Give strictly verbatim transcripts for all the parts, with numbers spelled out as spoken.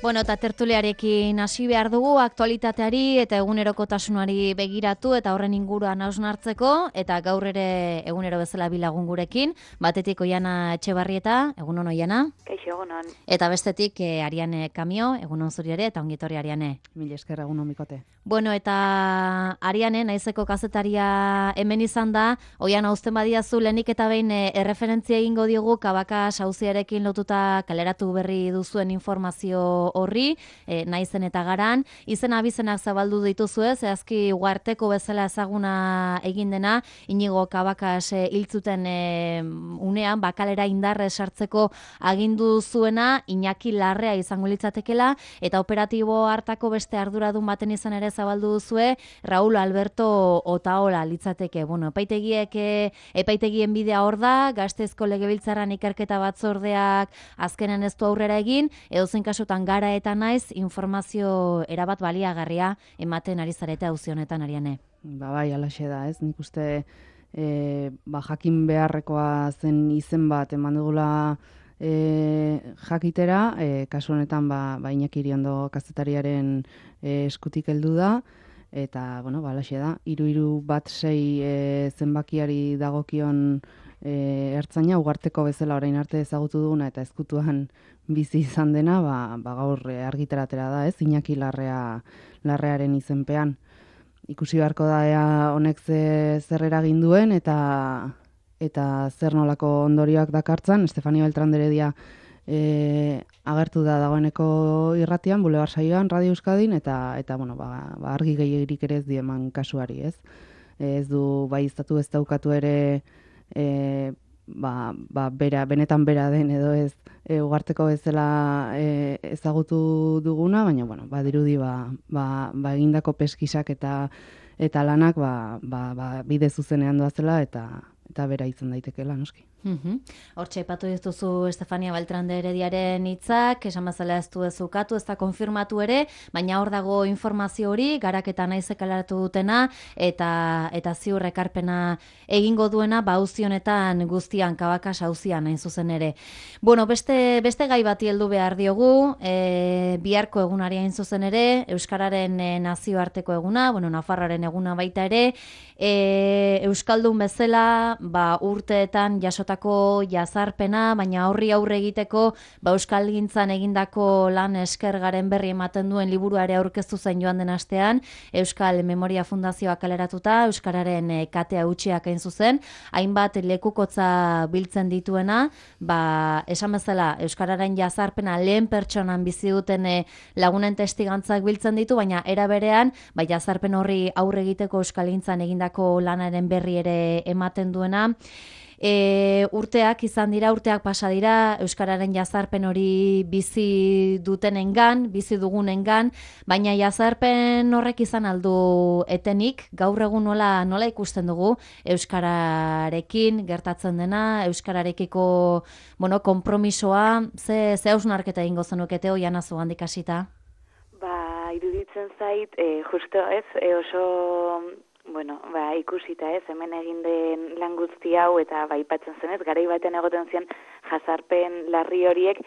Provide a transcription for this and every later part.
Bueno, eta tertuliarekin hasi behar dugu, aktualitateari eta egunerokotasunari begiratu eta horren inguruan hausnartzeko, eta gaur ere egunero bezala bilagun gurekin, batetik Oiana Etxebarrieta, egunon Oiana. Kaixo, egunon. Eta bestetik eh, Ariane Kamio, egunon zuri ere, eta ongitorri Ariane. Mil esker egunon Mikote. Bueno, eta Ariane, naizeko kazetaria hemen izan da, Oiana uzten badiazu lehenik eta behin eh, erreferentzia egingo diogu Kabakas auziarekin lotuta kaleratu berri duzuen informazio horri, e, naizen eta garan, izen abizenak zabaldu dituzue, zehazki ugarteko bezala ezaguna egin dena, Inigo Kabakas e, hiltzuten e, unean, bakalera indarre sartzeko agindu zuena, Iñaki Larrea izango litzatekela, eta operatibo hartako beste arduradun baten izan ere zabaldu duzue, Raúl Alberto Otaola litzateke. Bueno, epaitegiek, e, epaitegien bidea hor da, Gasteizko Legebiltzarran ikerketa batzordeak azkenen ez du aurrera egin, edozein kasutan gara eta naiz informazio erabat baliagarria ematen ari zarete auzi honetan, Ariane. Ba bai, alaxe da, ez? Nik uste e, ba, jakin beharrekoa zen izen bat eman dugula e, jakitera, e, kasu honetan ba, ba Iñaki Iriondo kazetariaren e, eskutik heldu da, eta, bueno, ba, alaxe da, hiru hiru bat sei e, zenbakiari dagokion e, ertzaina, ugarteko bezala orain arte ezagutu duguna eta ezkutuan bizi izan dena, ba, ba gaur argitaratera da, ez? Iñaki Larrea, Larrearen izenpean. Ikusi beharko da ea honek ze, zer eragin duen eta eta zer nolako ondorioak dakartzan. Estefania Beltrán de Heredia e, agertu da dagoeneko irratian, Bulebar saioan, Radio Euskadin, eta eta bueno, ba, ba argi gehiegirik ere ez dieman kasuari, ez? Ez du bai iztatu ez daukatu ere e, ba, ba bera, benetan bera den edo ez e, ugarteko bezala e, ezagutu duguna, baina bueno, ba dirudi ba, ba, ba egindako peskisak eta eta lanak ba, ba, ba bide zuzenean doazela eta eta bera izan daitekeela noski. Mhm. Hortxe aipatu dituzu Estefania Beltrán de Herediaren hitzak, esan bezala ez du ezukatu, ez da konfirmatu ere, baina hor dago informazio hori, garaketa naizek alaratu dutena, eta eta ziur ekarpena egingo duena, ba auzi honetan guztian, Kabakas auzian hain zuzen ere. Bueno, beste, beste gai bati heldu behar diogu, e, biharko egunari hain zuzen ere, Euskararen e, nazioarteko eguna, bueno, Nafarroaren eguna baita ere, e, Euskaldun bezala, ba urteetan jasota jazarpena, baina horri aurre egiteko ba euskalgintzan egindako lan eskergaren berri ematen duen liburuare aurkeztu zen joan den astean, Euskal Memoria Fundazioak kaleratuta, euskararen e, katea utxiak hain zuzen, hainbat lekukotza biltzen dituena, ba esan bezala euskararen jazarpena lehen pertsonan bizi duten e, lagunen testigantzak biltzen ditu, baina era berean ba jazarpen horri aurre egiteko euskalgintzan egindako lanaren berri ere ematen duena. E, urteak izan dira, urteak pasa dira, euskararen jazarpen hori bizi dutenengan, bizi dugunengan, baina jazarpen horrek izan aldu etenik, gaur egun nola, nola ikusten dugu euskararekin gertatzen dena, euskararekiko, bueno, konpromisoa, ze, ze hausnarketa egingo zenukete Oiana zugandik hasita? Ba, iruditzen zait, e, justo ez, e, oso... Bueno, ba, ikusita ez, hemen egin den lan guzti hau eta ba, ipatzen zenez, garai baten egoten ziren jazarpen larri horiek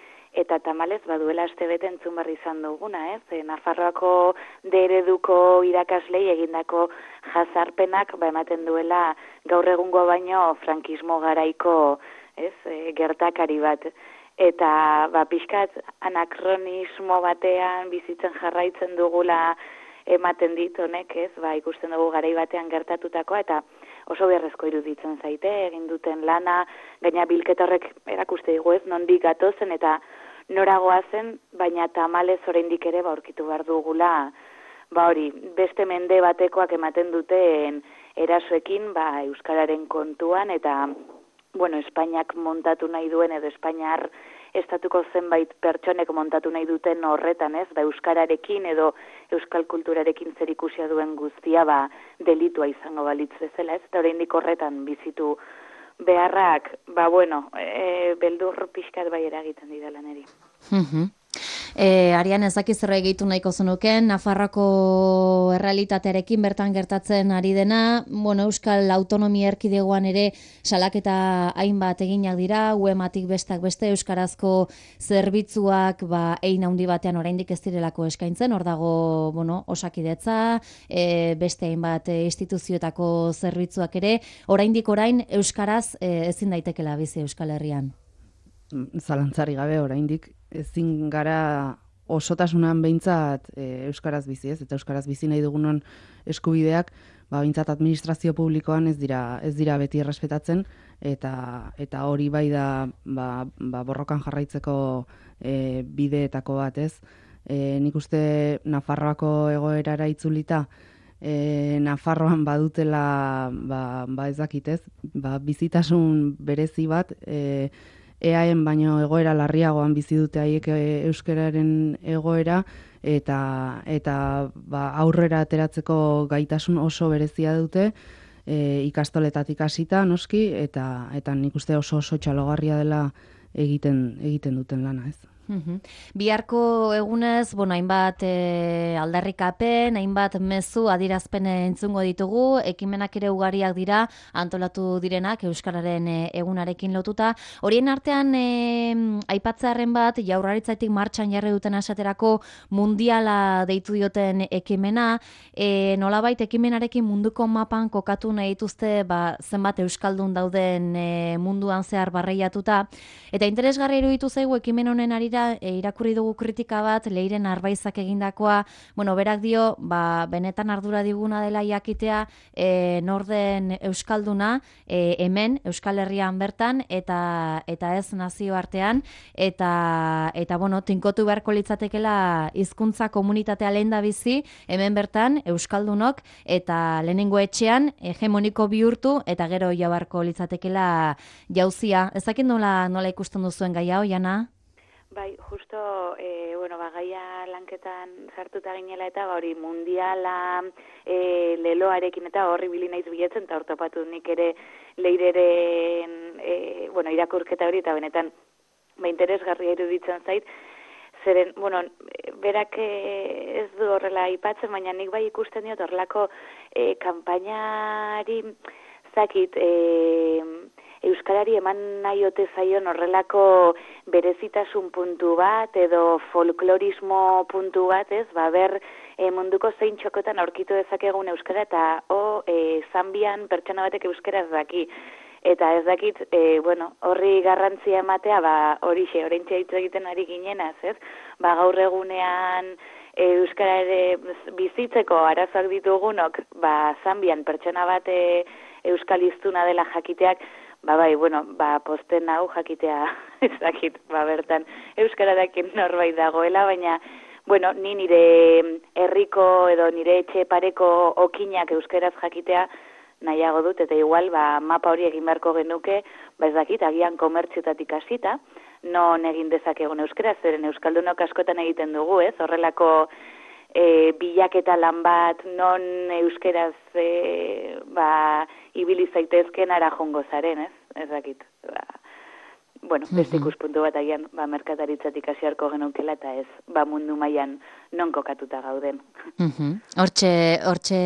eta tamalez baduela astebete entzun berri izan duguna, ez? E, Nafarroako D ereduko irakaslei egindako jazarpenak ba, ematen duela gaur egungo baino frankismo garaiko, ez, e, gertakari bat. Eta ba, pixkat anakronismo batean bizitzen jarraitzen dugula ematen dit honek, ez, ba, ikusten dugu garai batean gertatutakoa, eta oso beharrezko iruditzen zaite, egin duten lana, gaina bilketa horrek erakuste digu ez, nondik gatozen eta noragoa zen, baina tamalez oraindik ere ba aurkitu behar dugula, ba hori, beste mende batekoak ematen duten erasoekin, ba, euskararen kontuan, eta, bueno, Espainiak montatu nahi duen, edo Espainiar estatuko zenbait pertsonek montatu nahi duten horretan, ez, ba, euskararekin edo euskal kulturarekin zerikusia duen guztia, ba, delitua izango balitz bezala, ez, eta oraindik horretan bizitu beharrak, ba, bueno, e, beldur pixkat bai eragiten didala niri. Mhm. E, Arian, ez dakiz zer gehitu nahiko zenuken, Nafarroako errealitatearekin bertan gertatzen ari dena, bueno, Euskal Autonomia Erkidegoan ere salaketa hainbat eginak dira, U E M-atik bestak beste euskarazko zerbitzuak ba, ein handi batean oraindik ez direlako eskaintzen, hor dago, bueno, Osakidetza, e, beste hainbat e, instituzioetako zerbitzuak ere, oraindik orain euskaraz e, ezin daitekela bizi Euskal Herrian. Zalantzari gabe oraindik ezin gara osotasunan behintzat e, euskaraz bizi, ez? Eta euskaraz bizi nahi dugunon eskubideak, ba behintzat administrazio publikoan ez dira ez dira beti errespetatzen eta eta hori bai da ba, ba borrokan jarraitzeko e, bideetako bat, ez? E, nik uste Nafarroako egoerara itzulita e, Nafarroan badutela ba, ba ez dakit, ez? Ba, bizitasun berezi bat e, eaen baino egoera larriagoan bizi dute haiek euskararen egoera eta eta ba, aurrera ateratzeko gaitasun oso berezia dute e, ikastoletatik hasita noski eta eta nik uste oso oso txalogarria dela egiten egiten duten lana, ez? Uhum. Biharko egunez, bueno, hainbat e, aldarrikapen, hainbat mezu adierazpen entzungo ditugu, ekimenak ere ugariak dira, antolatu direnak euskararen e, egunarekin lotuta. Horien artean e, aipatzearren bat, Jaurlaritzatik martxan jarri duten esaterako mundiala deitu dioten ekimena, e, nolabait ekimenarekin munduko mapan kokatu nahi dituzte ba, zenbat euskaldun dauden e, munduan zehar barreiatuta, eta interesgarri iruditu zaigu ekimen honen ari E, irakurri dugu kritika bat, Leiren Arbaizak egindakoa, bueno, berak dio, ba, benetan ardura diguna dela jakitea e, norden euskalduna, e, hemen, Euskal Herrian bertan, eta eta ez nazioartean, eta, eta bueno, tinkotu beharko litzatekela hizkuntza komunitatea lehen da bizi, hemen bertan, euskaldunok, eta lehenengo etxean, hegemoniko bihurtu, eta gero jabarko litzatekela jauzia. Ezakit nola, nola ikusten duzuen gai hau, Jana? Bai, justo, e, bueno, bagaia lanketan sartuta ginela eta hori mundiala e, leloarekin eta horri bili naiz bilatzen, eta hor topatu nik ere Leireren, e, bueno, irakurketa hori, eta benetan, ba, interesgarria iruditzen zait, zeren, bueno, berak ez du horrela aipatzen, baina nik bai ikusten diot horrelako e, kanpainari zakit, e, euskarari eman nahi ote zaion horrelako berezitasun puntu bat edo folklorismo puntu bat, ez? Ba, ber e, munduko zein txokotan aurkitu dezakegun euskara eta o, e, Zambian pertsona batek euskara ez daki. Eta ez dakit, e, bueno, horri garrantzia ematea, ba, horixe, oraintxe hitz egiten ari ginenaz, ez? Ba, gaur egunean e, euskara ere bizitzeko arazoak ditugunok, ba, Zambian pertsona bat e, euskaliztuna dela jakiteak, ba bai, bueno, ba posten hau jakitea ez dakit, ba bertan euskara dakin norbait dagoela, baina bueno, ni nire herriko edo nire etxe pareko okinak euskaraz jakitea nahiago dut, eta igual ba mapa hori egin beharko genuke, ba ez dakit, agian komertzioetatik hasita, non egin dezakegun euskaraz, zeren euskaldunok askotan egiten dugu, ez? Horrelako E, bilaketa lan bat non euskeraz e, ba, ibili zaitezken ara jongo zaren, ez? Ez dakit. Ba, bueno, beste ikuspuntu bat agian ba, merkataritzatik hasiarko genukela eta ez ba, mundu mailan non kokatuta gauden. Hortxe, hortxe,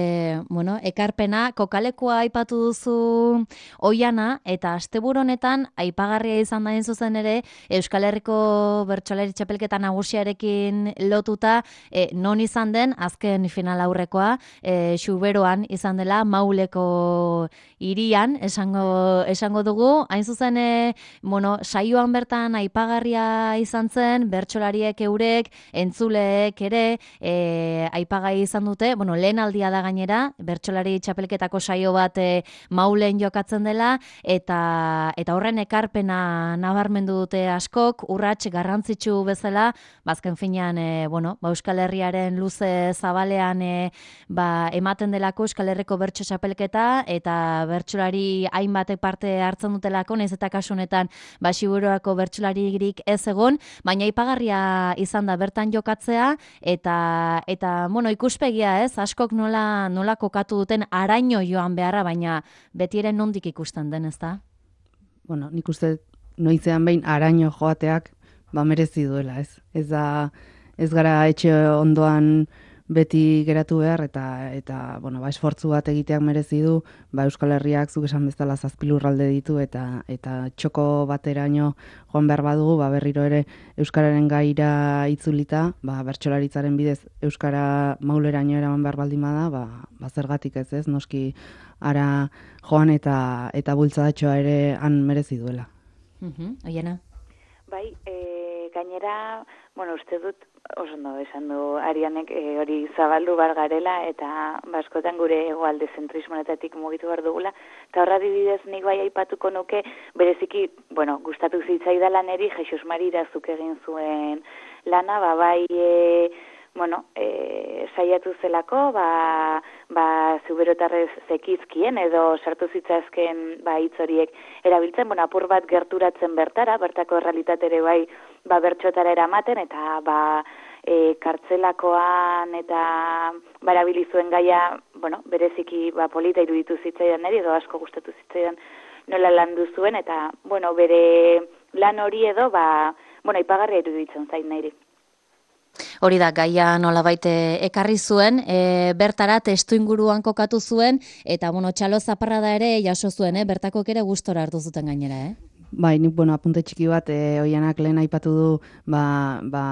bueno, ekarpena, kokalekoa aipatu duzu Oiana, eta asteburu honetan aipagarria izan da zuzen ere Euskal Herriko bertsolari txapelketa nagusiarekin lotuta, e, non izan den azken final aurrekoa, e, Xuberoan izan dela, Mauleko hirian, esango, esango dugu, hain zuzen, e, bueno, saioan bertan aipagarria izan zen, bertsolariek eurek, entzuleek ere, E, aipagai izan dute, bueno, lehen aldia da gainera, bertsolari txapelketako saio bat e, Maulen jokatzen dela, eta eta horren ekarpena nabarmendu dute askok, urrats garrantzitsu bezala, bazken finean, e, bueno, ba, Euskal Herriaren luze zabalean e, ba, ematen delako Euskal Herriko bertso txapelketa, eta bertsolari hainbatek parte hartzen dutelako, naiz eta kasu honetan ba, Xiburuako bertsolaririk ez egon, baina aipagarria izan da bertan jokatzea, eta eta bueno, ikuspegia, ez? Askok nola nola kokatu duten araino joan beharra, baina beti ere nondik ikusten den, ezta? Bueno, nik uste noizean behin araino joateak ba merezi duela, ez? Ez da ez gara etxe ondoan beti geratu behar, eta, eta bueno, ba, esfortzu bat egiteak merezi du, ba, Euskal Herriak zuk esan bezala zazpi lurralde ditu, eta, eta txoko bateraino joan behar badugu, ba, berriro ere Euskararen gaira itzulita, ba, bertsolaritzaren bidez Euskara mauleraino eraman behar baldin bada, ba, ba, zergatik ez ez, noski ara joan eta, eta bultzadatxoa ere han merezi duela. Uh-huh. Oiena? Bai, e, gainera, bueno, uste dut, oso ondo esan du Arianek e, hori zabaldu bar garela eta baskotan gure hegoalde zentrismonetatik mugitu behar dugula. Eta horra dibidez nik bai aipatuko nuke, bereziki, bueno, gustatu zitzaidala neri Jesus Mari Irazuk egin zuen lana, ba bai, e, bueno, e, saiatu zelako, ba, ba zuberotarrez zekizkien edo sartu zitzazken ba hitz horiek erabiltzen, bueno, apur bat gerturatzen bertara, bertako errealitatere bai, ba bertxotara eramaten, eta ba e, kartzelakoan eta barabili zuen gaia, bueno, bereziki ba polita iruditu zitzaidan neri, edo asko gustatu zitzaidan nola landu zuen, eta, bueno, bere lan hori edo, ba, bueno, ipagarria iruditzen zain niri. Hori da, gaia nolabait ekarri zuen, e, bertara testu inguruan kokatu zuen, eta, bueno, txalo zaparrada ere jaso zuen, eh? Bertakok ere gustora hartu zuten gainera, eh? Bai, nik, bueno, apunte txiki bat, e, Oianak lehen aipatu du, ba, ba,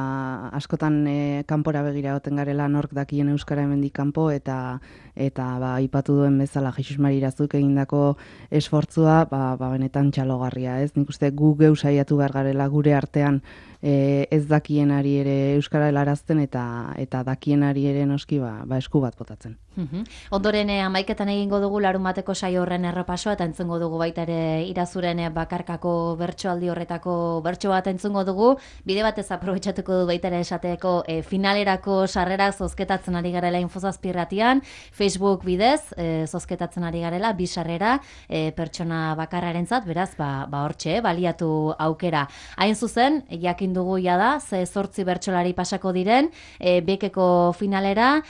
askotan e, kanpora begira egoten garela nork dakien Euskara hemendik kanpo, eta eta ba, aipatu duen bezala Jesus Mari Irazuk egindako esfortzua, ba, ba, benetan txalogarria, ez? Nik uste gu geu saiatu behar garela gure artean e, ez dakienari ere Euskara helarazten, eta eta dakienari ere noski ba, ba esku bat botatzen. Uhum. Ondoren eh, amaiketan egingo dugu larunbateko saio horren errepasoa, eta entzungo dugu baita ere Irazuren eh, bakarkako bertsoaldi horretako bertso bat entzungo dugu, bide batez aprobetxatuko du baita ere esateko eh, finalerako sarrerak zozketatzen ari garela Infozazpirratian, Facebook bidez eh, zozketatzen ari garela, bi sarrera eh, pertsona bakarrarentzat, beraz, ba, ba hortxe, baliatu aukera. Hain zuzen, jakin dugu jada, ze zortzi bertsolari pasako diren, eh, bekeko finalera,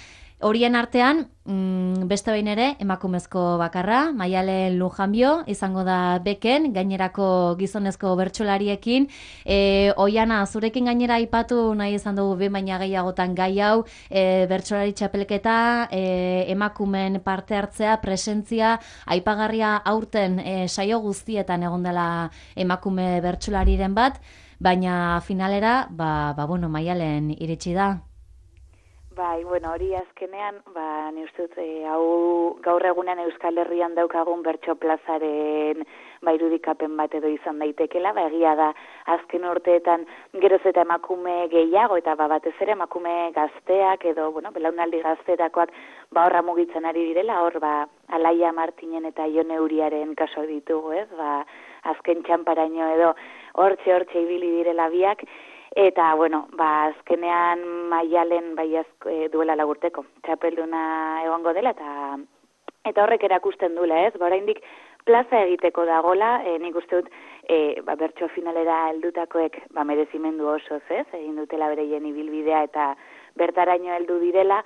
horien artean, mm, beste behin ere, emakumezko bakarra, Maialen Lujanbio, izango da beken, gainerako gizonezko bertsolariekin. E, Oiana, zurekin gainera aipatu nahi izan dugu behin baina gehiagotan gai hau, e, bertsolari txapelketa, e, emakumen parte hartzea, presentzia, aipagarria aurten e, saio guztietan egon dela emakume bertsolariren bat, baina finalera, ba, ba bueno, Maialen iritsi da. Bai, bueno, hori azkenean, ba, ni uste dut, e, hau gaur egunean Euskal Herrian daukagun bertso plazaren ba, irudikapen bat edo izan daitekela, ba, egia da azken urteetan geroz eta emakume gehiago, eta ba, batez ere emakume gazteak edo, bueno, belaunaldi gaztetakoak ba, horra mugitzen ari direla, hor, ba, Alaia Martinen eta Ione Uriaren kaso ditugu, ez, ba, azken txamparaino edo hortxe hortxe ibili direla biak. Eta, bueno, ba, azkenean Maialen bai azko, e, duela lagurteko, txapelduna egongo dela, eta eta horrek erakusten duela, ez? Ba, oraindik plaza egiteko dagola, e, nik uste dut, e, ba, bertso finalera heldutakoek ba, merezimendu osoz, ez? Egin dutela bereien ibilbidea eta bertaraino heldu direla,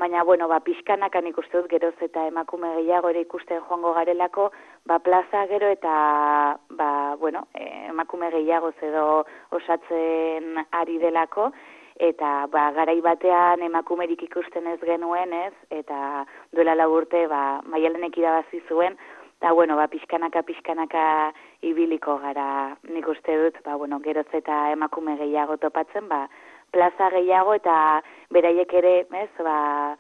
baina, bueno, ba, pixkanaka nik uste dut geroz eta emakume gehiago ere ikusten joango garelako, ba, plaza gero eta, ba, bueno, emakume gehiago edo osatzen ari delako, eta, ba, garai batean emakumerik ikusten ez genuen, ez, eta duela lau urte, ba, Maialenek irabazi zuen, eta, bueno, ba, pixkanaka, pixkanaka ibiliko gara, nik uste dut, ba, bueno, geroz eta emakume gehiago topatzen, ba, plaza gehiago eta beraiek ere, ez, ba,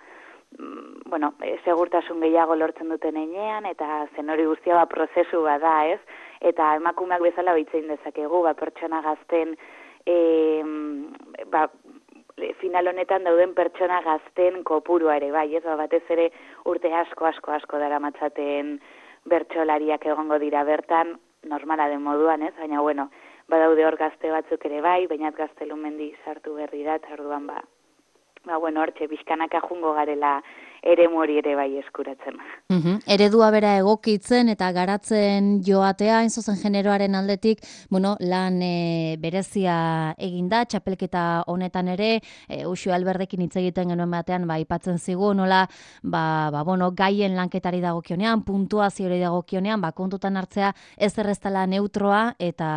bueno, segurtasun gehiago lortzen duten heinean, eta zen hori guztia ba, prozesu bada, ez, eta emakumeak bezala behitzein dezakegu, ba, pertsona gazten, e, ba, final honetan dauden pertsona gazten kopurua ere, bai, ez, ba, batez ere urte asko, asko, asko dara matzaten bertsolariak egongo dira bertan, normala den moduan, ez, baina, bueno, badaude hor gazte batzuk ere bai, bainat Gaztelumendi sartu berri da, eta orduan ba, ba, bueno, hortxe, bizkanaka jungo garela ere mori ere bai eskuratzen. Uhum. Eredua bera egokitzen eta garatzen joatea, inzuzen generoaren aldetik, bueno, lan e, berezia eginda, txapelketa honetan ere, e, Uxu Alberdekin hitz egiten genuen batean, ba, ipatzen zigu, nola, ba, ba, bueno, gaien lanketari dagokionean, puntuaziori dagokionean, ba, kontutan hartzea ez erreztala neutroa eta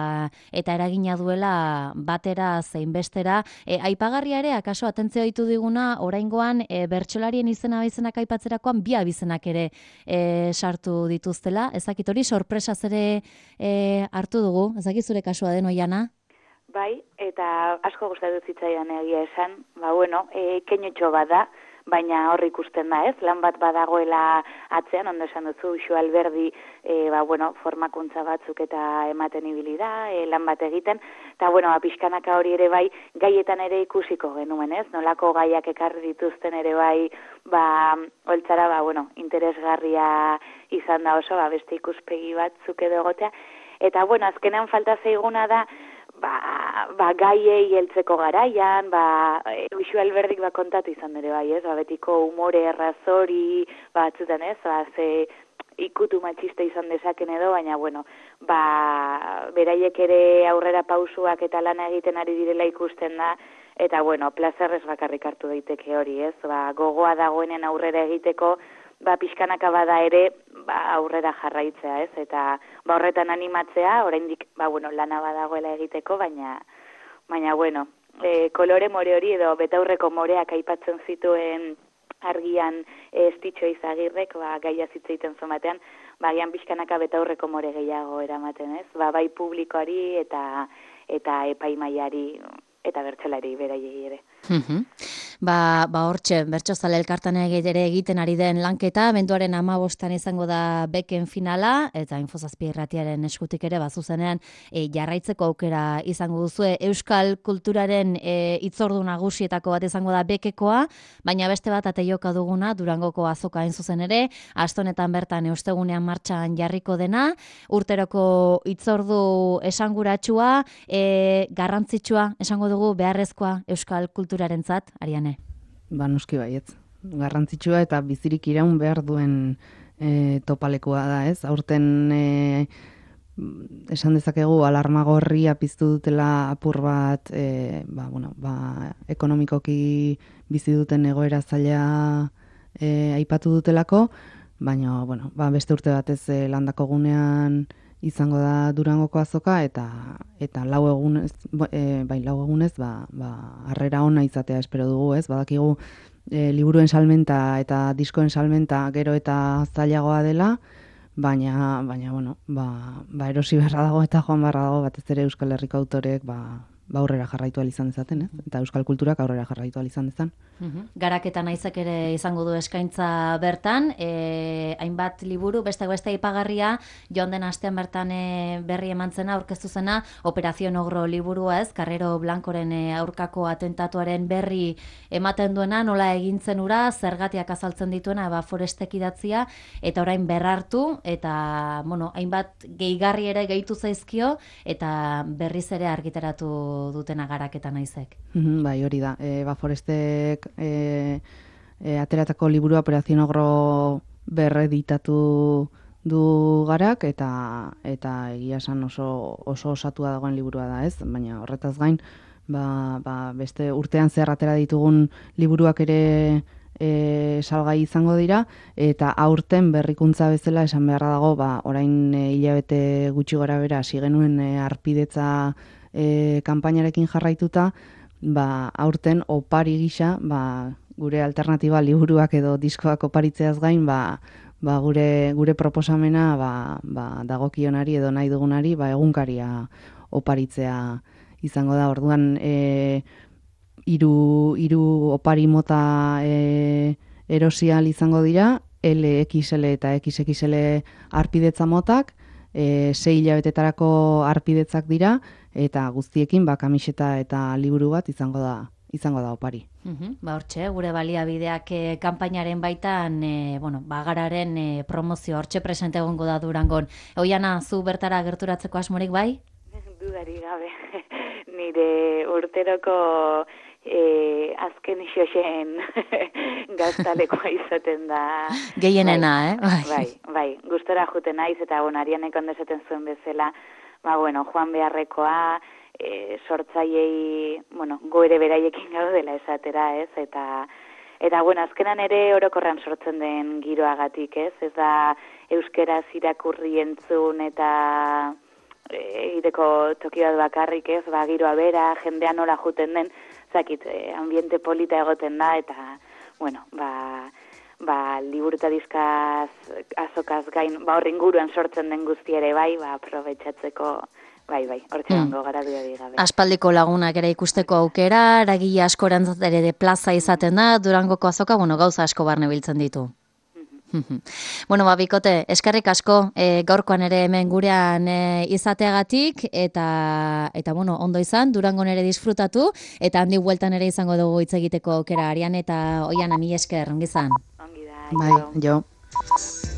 eta eragina duela batera zein bestera. E, aipagarria ere, akaso atentzio ditu diguna, oraingoan e, bertsolarien izena izenak aipatzerakoan bi abizenak ere e, sartu dituztela. Ezakit hori sorpresaz ere e, hartu dugu. Ezakit zure kasua den, Oiana? Bai, eta asko gustatu zitzaidan egia esan. Ba, bueno, e, keinotxo bada, baina hor ikusten da, ez? Lan bat badagoela atzean, ondo esan duzu, Uxu Alberdi, e, ba, bueno, formakuntza batzuk eta ematen ibili da, e, lan bat egiten, eta, bueno, ba, pixkanaka hori ere bai, gaietan ere ikusiko genuen, ez? Nolako gaiak ekarri dituzten ere bai, ba, holtzara, ba, bueno, interesgarria izan da oso, ba, beste ikuspegi batzuk edo egotea, eta, bueno, azkenean falta zaiguna da, ba, ba gaiei heltzeko garaian, ba, Uxu Alberdik ba kontatu izan ere bai, ez? Ba, betiko umore errazori, ba, batzutan, ez? Ba, ze ikutu matxista izan dezaken edo, baina, bueno, ba, beraiek ere aurrera pausuak eta lana egiten ari direla ikusten da, eta, bueno, plazerrez bakarrik hartu daiteke hori, ez? Ba, gogoa dagoenen aurrera egiteko, ba, pixkanaka bada ere, ba, aurrera jarraitzea, ez? Eta, ba, horretan animatzea, oraindik, ba, bueno, lana badagoela egiteko, baina, baina, bueno, e, kolore more hori edo betaurreko moreak aipatzen zituen argian e, Estitxo Izagirrek, ba, gaia zitzeiten zomatean, ba, gian pixkanaka betaurreko more gehiago eramaten, ez? Ba, bai publikoari eta, eta epaimaiari, eta bertsolari beraiei ere. Mhm. Ba, ba hortxe, bertsozale elkartan ere egiten ari den lanketa, benduaren hamabostan izango da beken finala, eta Infozazpi irratiaren eskutik ere, bazuzenean e, jarraitzeko aukera izango duzue. Euskal kulturaren e, itzordu nagusietako bat izango da bekekoa, baina beste bat ateioka duguna, Durangoko azoka hain zuzen ere, astonetan bertan eustegunean martxan jarriko dena, urteroko itzordu esanguratsua, e, garrantzitsua, esango dugu beharrezkoa Euskal kulturarentzat, Ariane? Ba, noski baietz. Garrantzitsua eta bizirik iraun behar duen e, topalekoa da, ez? Aurten e, esan dezakegu alarma gorria piztu dutela apur bat, e, ba, bueno, ba, ekonomikoki bizi duten egoera zaila e, aipatu dutelako, baina, bueno, ba, beste urte batez e, landako gunean izango da Durangoko azoka eta eta lau egunez, e, bai lau egunez, ba, ba harrera ona izatea espero dugu, ez? Badakigu e, liburuen salmenta eta diskoen salmenta gero eta zailagoa dela, baina baina bueno, ba, ba erosi beharra dago eta joan beharra dago batez ere Euskal Herriko autoreek ba ba aurrera jarraitu ahal izan dezaten, ez? Eta euskal kulturak aurrera jarraitu ahal izan dezan. Uhum. Garaketa naizek ere izango du eskaintza bertan, e, hainbat liburu, beste beste aipagarria, joan den astean bertan e, berri emantzena, aurkeztu zena, Operazio Ogro liburua, ez? Carrero Blancoren e, aurkako atentatuaren berri ematen duena, nola egintzen ura, zergatiak azaltzen dituena, ba Forestek idatzia, eta orain berrartu, eta, bueno, hainbat gehigarri ere gehitu zaizkio, eta berriz ere argitaratu dutena Garaketa naizek. Mm-hmm, bai, hori da. E, ba, Forestek e, e, ateratako liburu Operazio Ogro berreditatu du Garak, eta eta egia esan oso oso osatua dagoen liburua da, ez? Baina horretaz gain, ba, ba, beste urtean zehar atera ditugun liburuak ere e, salgai izango dira, eta aurten berrikuntza bezala esan beharra dago, ba, orain e, hilabete gutxi gora bera hasi genuen e, arpidetza E, kanpainarekin jarraituta, ba, aurten opari gisa, ba, gure alternatiba liburuak edo diskoak oparitzeaz gain, ba, ba, gure, gure proposamena ba, ba, dagokionari edo nahi dugunari ba, egunkaria oparitzea izango da. Orduan e, hiru hiru opari mota e, erosial izango dira, L X L eta X X L arpidetza motak, e, sei hilabetetarako arpidetzak dira, eta guztiekin ba kamiseta eta liburu bat izango da izango da opari. Uhum, ba hortxe, gure baliabideak e, kanpainaren baitan, e, bueno, bagararen e, promozio hortxe presente egongo da Durangon. Oiana, zu bertara gerturatzeko asmorik bai? Dudari gabe. Nire urteroko e, azken xoxen gaztalekoa izaten da. Gehienena, bai, eh? Bai, bai, gustora juten naiz, eta bueno, Arianek ondo esaten zuen bezala, ba, bueno, joan beharrekoa, e, sortzaiei, bueno, go ere beraiekin gaudela esatera, ez, eta, eta, bueno, azkenan ere orokorran sortzen den giroagatik, ez, ez da euskeraz irakurri entzun eta e, ideko toki bat bakarrik, ez, ba, giroa bera, jendea nola juten den, zakit, e, ambiente polita egoten da, eta, bueno, ba, ba, liburuta dizkaz, azokaz gain, ba, horren guruan sortzen den guzti ere bai, ba, aprobetxatzeko, bai, bai, hortxe Hmm. gongo gara duari gabe. Aspaldiko lagunak ere ikusteko aukera, eragile askorentzat ere de plaza izaten da, Durangoko azoka, bueno, gauza asko barne biltzen ditu. Bueno, ba, Bikote, eskerrik asko, e, gaurkoan ere hemen gurean e, izateagatik, eta, eta bueno, ondo izan, Durangon ere disfrutatu, eta handi bueltan ere izango dugu hitz egiteko aukera, Arian eta Oiana, mi esker, ongi izan. Ongi da, Bai, jo. jo.